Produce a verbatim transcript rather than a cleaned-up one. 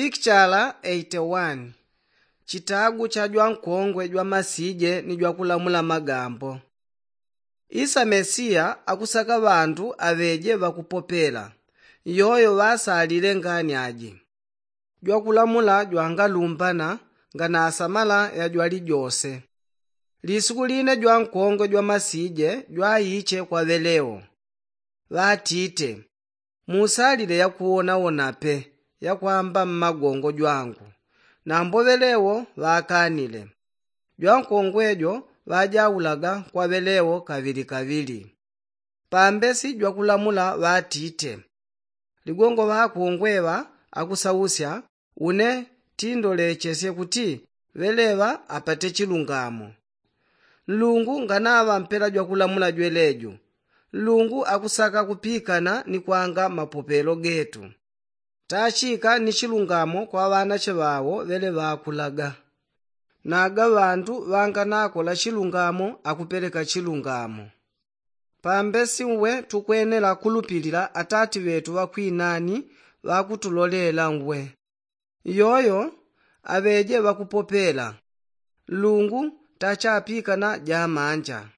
Pikichala eighty-one. Chitagu cha jwankongwe jwamasije ni jwakulamula magambo. Isa mesiya akusaka ŵantu aŵeje ŵakupopela. Iyoyo ŵasalile ngani aji. Jwakulamula jwangalumbana nganasamala ya jwalijose. Lisuku line jwankongwe jwamasije jwaiche kwa ŵelewo, ŵatite, musalile yakuwonawona pe yakwamba mmagongo jwangu. Nambo ŵelewo ŵakanile. Jwankongwe jo ŵajaulaga kwa ŵelewo kaŵili kaŵili. Pambesi jwakulamula ŵatite, ligongo ŵakongwe ŵa akusausya, une tindolechesye kuti ŵeleŵa apate chilungamo. Nlungu nganaŵampela jwakulamula jweleju, nlungu akusaka kupikana ni kwanga mapopelo getu. Tachika ni chilungamo kwa ŵanache ŵawo ŵele ŵakulaga. Naga ŵantu ŵanganakola chilungamo akupeleka chilungamo. Pambesi uwe tukwenela kulupilila atati ŵetu ŵakwinani ŵakutulolela uwe. Iyoyo aŵeje ŵakupopela. Nlungu tachapikana jamanja.